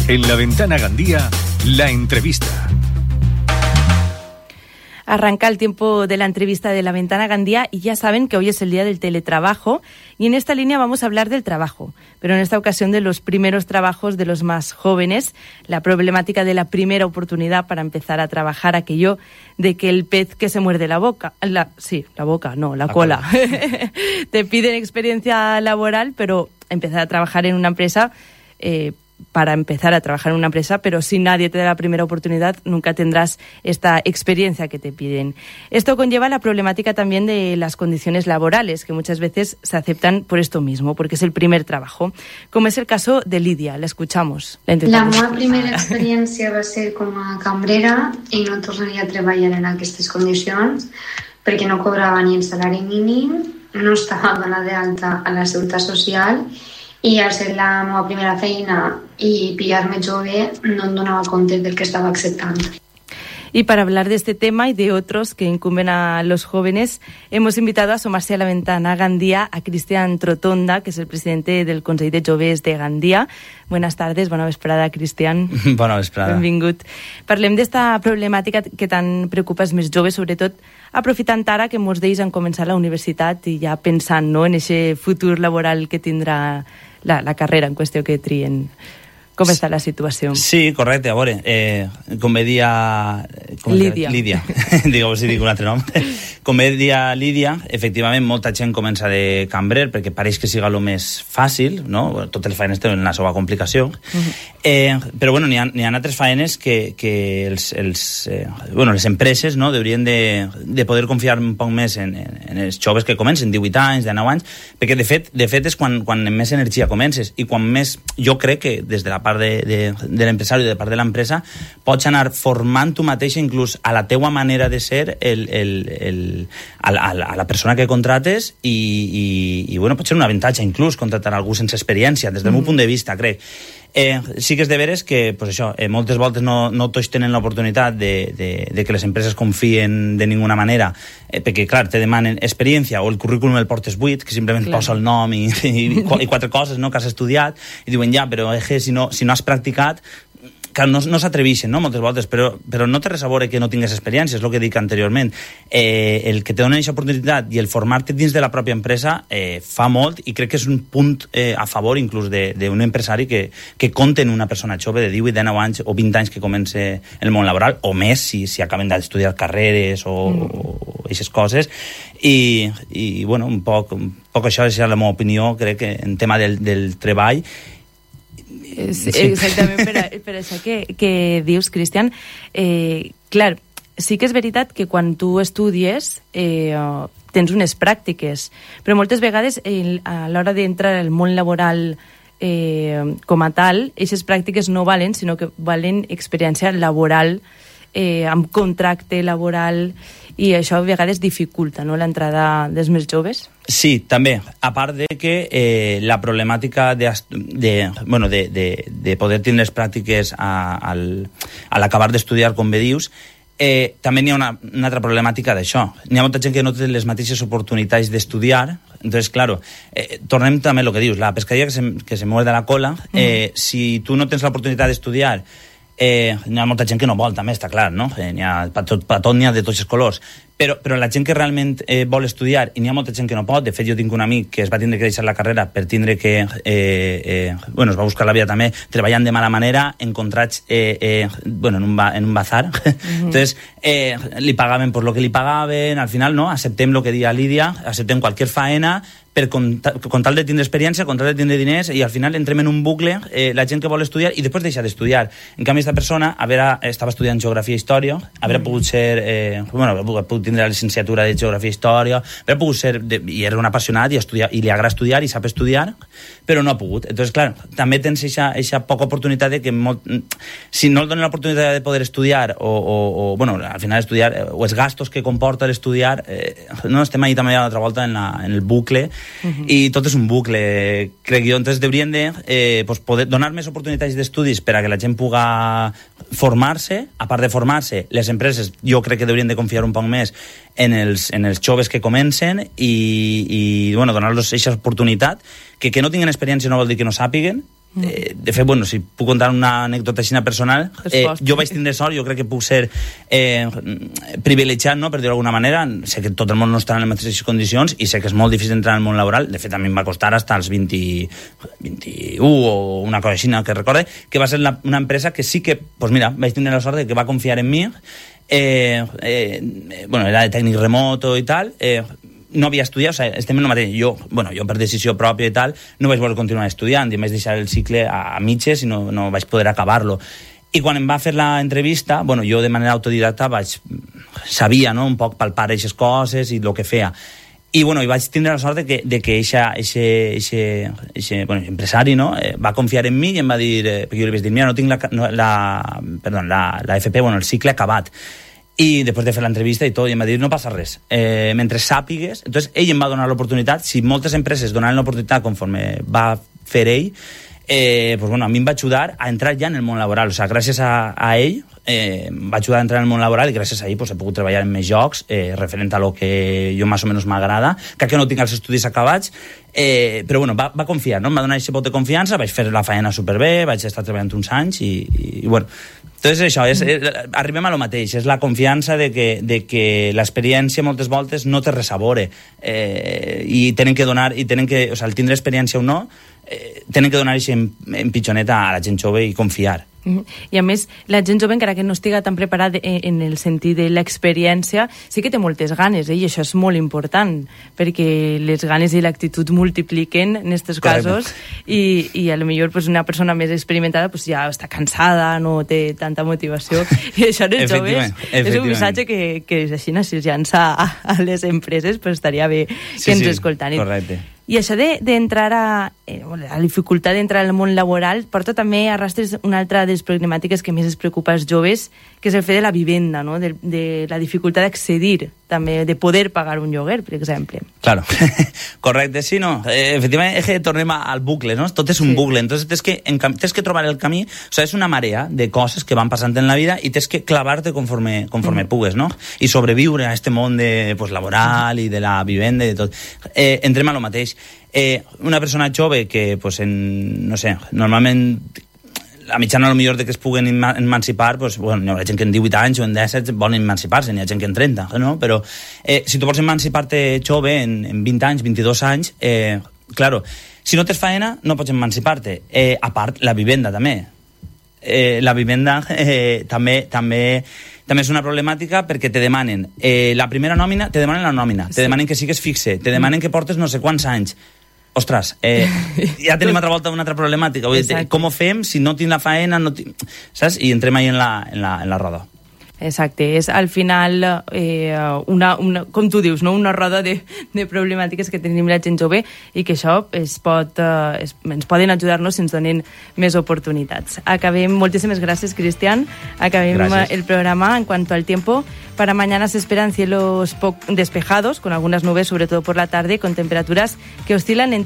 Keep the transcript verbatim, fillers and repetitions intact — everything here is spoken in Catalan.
En La Ventana Gandía, la entrevista. Arranca el tiempo de la entrevista de La Ventana Gandía y ya saben que hoy es el día del teletrabajo y en esta línea vamos a hablar del trabajo, pero en esta ocasión de los primeros trabajos de los más jóvenes, la problemática de la primera oportunidad para empezar a trabajar, aquello de que el pez que se muerde la boca, la, sí, la boca, no, la, la cola, cola. Te piden experiencia laboral, pero empezar a trabajar en una empresa... Eh, para empezar a trabajar en una empresa, pero si nadie te da la primera oportunidad, nunca tendrás esta experiencia que te piden. Esto conlleva la problemática también de las condiciones laborales, que muchas veces se aceptan por esto mismo, porque es el primer trabajo, como es el caso de Lídia. La escuchamos. La, la meva primera experiència va ser com a cambrera i no tornaria a treballar en aquestes condicions perquè no cobrava ni el salari mínim, no estava donada d'alta a la Seguretat Social i al ser la meva primera feina y pillarme jove no em donava compte del que estaba acceptando. Y para hablar de este tema y de otros que incumben a los jóvenes, hemos invitado a asomarse a La Ventana Gandía a Cristian Trotonda, que es el presidente del Consell de Joves de Gandía. Buenas tardes, bona vesprada, Cristian. Bona vesprada. Benvingut. Parlem d'esta problemàtica que tant preocupa els més joves, sobretot aprofitant ara que molts d'ells han començat la universitat i ja pensant, no, en aquest futur laboral que tindrà la, la carrera en qüestió que trien. Com està la situació? Sí, correcte. A veure, eh, com bé dia... Com Lídia. Lídia. Digue, si dic un altre nom. Com bé dia Lídia, efectivament, molta gent comença de cambrer perquè pareix que siga el més fàcil, no? Totes les feines tenen la seva complicació. Uh-huh. eh, però, bueno, n'hi ha, n'hi ha altres feines que, que els, els, eh, bueno, les empreses, no, haurien de, de poder confiar un poc més en, en, en els joves que comencen, divuit anys, dinou anys, perquè, de fet, de fet és quan, quan més energia comences i quan més, jo crec que des de la part de, de, de l'empresari i de part de l'empresa pots anar formant tu mateix inclús a la teua manera de ser el, el, el, a, la, a la persona que contrates i, i, i bueno, pot ser un avantatge inclús contratar algú sense experiència des del mm. meu punt de vista, crec. Eh, sí que és de veres que pues això, eh, moltes voltes no, no tots tenen l'oportunitat de, de, de que les empreses confien de ninguna manera, eh, perquè clar, te demanen experiència o el currículum el portes buit, que simplement clar. Posa el nom i, i, i quatre coses, no?, que has estudiat, i diuen ja, però eh, si, no, si no has practicat, que no, no s'atreveixen, no?, moltes voltes, però, però no té res a veure que no tingues experiència, és el que dic anteriorment. Eh, el que te donen aquesta oportunitat i el formar-te dins de la pròpia empresa eh, fa molt i crec que és un punt eh, a favor inclús d'un empresari que, que compte en una persona jove de divuit, dinou anys o vint anys que comence el món laboral, o més si, si acaben d'estudiar carreres o aquestes mm. coses. I, i bueno, un poc, un poc això és la meva opinió, crec que en tema del, del treball. Sí. Exactament, per, a, per això que, que dius, Cristian, eh, clar, sí que és veritat que quan tu estudies eh, tens unes pràctiques, però moltes vegades eh, a l'hora d'entrar al món laboral eh, com a tal, aquestes pràctiques no valen, sinó que valen experiència laboral, eh, amb contracte laboral, i això a vegades dificulta, no?, l'entrada dels més joves. Sí, també. A part de que eh, la problemàtica de, de, bueno, de, de, de poder tenir les pràctiques a, al, a l'acabar d'estudiar, com bé dius, eh, també n'hi ha una, una altra problemàtica d'això. N'hi ha molta gent que no té les mateixes oportunitats d'estudiar. Entonces, claro, eh, tornem també a lo que dius, la pescadilla que se, que se muerde la cola. Eh, mm. Si tu no tens l'oportunitat d'estudiar, Eh, n'hi ha molta gent que no vol, també, està clar, no? Eh, n'hi ha per tot, per tot, n'hi ha de tots els colors. Però, però la gent que realment eh, vol estudiar, i n'hi ha molta gent que no pot, de fet jo tinc un amic que es va tindre que deixar la carrera per tindre que, eh, eh, bueno, es va buscar la vida també, treballant de mala manera, en contrats, eh, eh, bueno, en un, ba, en un bazar. Mm-hmm. Entonces, eh, li pagaven per lo que li pagaven, al final, no? Acceptem lo que dia Lídia, acceptem qualsevol faena, per con, con tal de tindre experiència, con tal de tindre diners, i al final entrem en un bucle, eh, la gent que vol estudiar i després deixa d'estudiar. En canvi, aquesta persona haver, estava estudiant Geografia i Història, haver mm. pogut ser, eh, bueno, haver pogut tindre la licenciatura de Geografia i Història, haver pogut ser, de, i era un apassionat i, estudiar, i li agrada estudiar i sap estudiar, però no ha pogut. Entonces, clar, també tens aquesta poca oportunitat de que molt, si no el donen l'oportunitat de poder estudiar o, o, o bueno, al final estudiar, o els gastos que comporta l'estudiar, eh, no estem ahí també a l'altra volta en, la, en el bucle. Uh-huh. I tot és un bucle, crec jo. Entonces deurien de eh, pues poder donar més oportunitats d'estudis per a que la gent puga formar-se. A part de formar-se, les empreses jo crec que deurien de confiar un poc més en els, en els joves que comencen i, i bueno, donar-los aquesta oportunitat, que que no tinguin experiència no vol dir que no sàpiguen, Eh, de fet, bueno, si puc contar una anècdota així personal, eh, jo vaig tindre sort, jo crec que puc ser eh, privilegiat, no?, per dir-ho d'alguna manera. Sé que tot el món no està en les mateixes condicions i sé que és molt difícil entrar en el món laboral. De fet, a mi em va costar fins als vint, vint-i-u o una cosa així, que recorde, que va ser la, una empresa que sí que, doncs mira, vaig tindre la sort de que va confiar en mi. Eh, eh, bueno, era de tècnic remoto i tal, eh, no havia estudiat, o sigui, estem en el mateix. Jo, bueno, jo per decisió pròpia i tal, no vaig voler continuar estudiant i em vaig deixar el cicle a, a mitges i no, no vaig poder acabar-lo. I quan em va fer l'entrevista, bueno, jo de manera autodidacta vaig, sabia, no?, un poc palpar aquestes coses i el que feia. I, bueno, i vaig tindre la sort de que, de que eixa, eixe, eixe, eixe, bueno, empresari, no?, eh, va confiar en mi i em va dir, eh, perquè jo li vaig dir, mira, no tinc la, no, la, perdó, la, la F P, bueno, el cicle acabat. I després de fer l'entrevista i tot, i em va dir, no passa res, eh, mentre sàpigues. Entonces ell em va donar l'oportunitat. Si moltes empreses donaven l'oportunitat conforme va fer ell, eh, pues bueno, a mi em va ajudar a entrar ja en el món laboral. O sigui, gràcies a, a ell eh, em va ajudar a entrar en el món laboral i gràcies a ell pues, he pogut treballar en més jocs eh, referent a lo que jo més o menys m'agrada, que no tinc els estudis acabats, eh, però bueno, va, va confiar, no? Em va donar aquest vot de confiança, vaig fer la feina superbé, vaig estar treballant uns anys i, i, i bueno, entonces això, és, és, arribem a lo mateix, és la confiança de que, de que l'experiència moltes voltes no té res a veure, eh, i tenen que donar, i tenen que, o sigui, el tindre experiència o no, eh, tenen que donar aquest empitjoneta a la gent jove i confiar. I a més, la gent jove, encara que no estiga tan preparada en el sentit de l'experiència, sí que té moltes ganes, eh? I això és molt important, perquè les ganes i l'actitud multipliquen en aquests casos, i, i a lo millor pues, una persona més experimentada pues, ja està cansada, no té tanta motivació, i això en els joves és un missatge que, que és així, si es llança a, a les empreses, pues estaria bé que sí, ens sí, escoltan. Correcte. I això d'entrar de, a, eh, a la dificultat d'entrar al món laboral porta també a rastres una altra de les problemàtiques que més es preocupa als joves, que és el fet de la vivenda, no? de, de la dificultat d'accedir, també de poder pagar un lloguer, per exemple. Claro, correcte, sí, no, eh, efectivament és que tornem al bucle, no? Tot és un sí. bucle, entonces tens que, en, tens que trobar el camí, o sigui, és una marea de coses que van passant en la vida i tens que clavar-te conforme, conforme mm. pugues, no? I sobreviure a este món de, pues, laboral i de la vivenda i de tot. Eh, entrem a lo mateix. Eh, una persona jove que, pues, en, no sé, normalment la mitjana, a lo millor, de que es puguen emancipar, pues, bueno, hi ha gent que en divuit anys o en disset volen emancipar-se, n'hi ha gent que en trenta, no? Però eh, si tu vols emancipar-te jove, en, en vint anys, vint-i-dos anys, eh, claro, si no tens faena, no pots emancipar-te. Eh, a part, la vivenda, també. Eh, la vivenda eh, també, també, també és una problemàtica perquè te demanen eh, la primera nòmina, te demanen la nòmina, sí. te demanen que sigues fixe, te demanen que portes no sé quants anys. Ostres, eh, ja tenim altra volta una altra problemàtica. Vull dir, com ho fem si no tinc la faena, no tinc... saps? I entrem ahí en la, en la, en la roda. Exacte, és al final, eh, una, una, com tu dius, no? una roda de, de problemàtiques que tenim la gent jove i que això es pot, eh, es, ens poden ajudar-nos si ens donen més oportunitats. Acabem, moltíssimes gràcies, Cristian. Acabem gràcies. El programa en cuanto al tiempo. Para mañana se esperan cielos despejados, con algunas nubes, sobre todo por la tarde, con temperaturas que oscilan entre